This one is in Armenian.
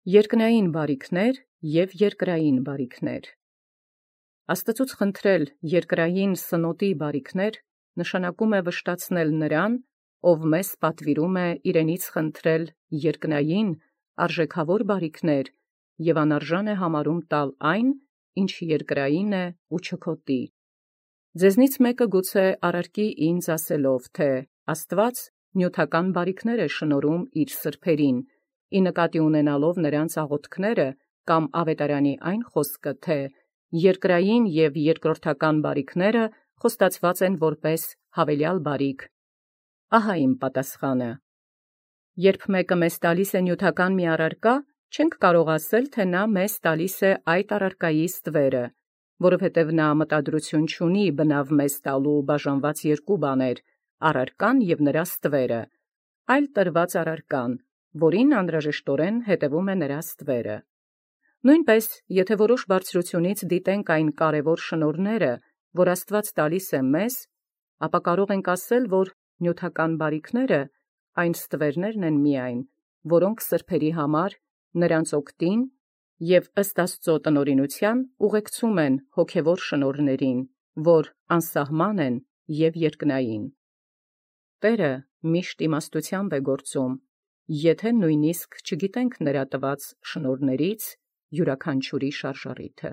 Երկնային բարիքներ և երկրային բարիքներ։ Աստծուց խնդրել երկրային սնոտի բարիքներ նշանակում է վշտացնել նրան, ով մեզ պատվիրում է իրենից խնդրել երկնային արժեքավոր բարիքներ և անարժան է համարում տալ այն, ինչ երկրային է ու չքոտի։ Ձեզնից մեկը գուցե առարկի ինձ ասելով, թե Աստված նյութական բարիքներ է շնորհում իր սրբերին, ի նկատի ունենալով նրանց աղոթքները կամ ավետարանի այն խոսքը, թե երկրային և երկրորդական բարիքները խոստացված են որպես հավելյալ բարիք։ Ահա իմ պատասխանը. երբ մեկը մեզ տալիս է նյութական մի առարկա, չենք կարող ասել, թե նա մեզ տալիս է այդ առարկայի ստվերը, որովհետև նա մտադրություն չունի բնավ մեզ տալու բաժանված երկու բաներ՝ առարկան և նրա ստվերը, այլ տրված առարկան, որին անհրաժեշտորեն հետևում է նրա ստվերը։ Նույնպես, եթե որոշ բարձրությունից դիտենք այն կարևոր շնորհները, որ Աստված տալիս է մեզ, ապա կարող ենք ասել, որ նյութական բարիքները այն ստվերներն են միայն, որոնք սրբերի համար նրանց օգտին և ըստ Աստծո տնօրինութեան ուղեկցում են հոգևոր շնորհներին, որ անսահման են և երկնային։ Տէրը միշտ իմաստութեամբ է գործում, եթե նույնիսկ չգիտենք նրա տված շնորհներից յուրաքանչյուրի շարժառիթը։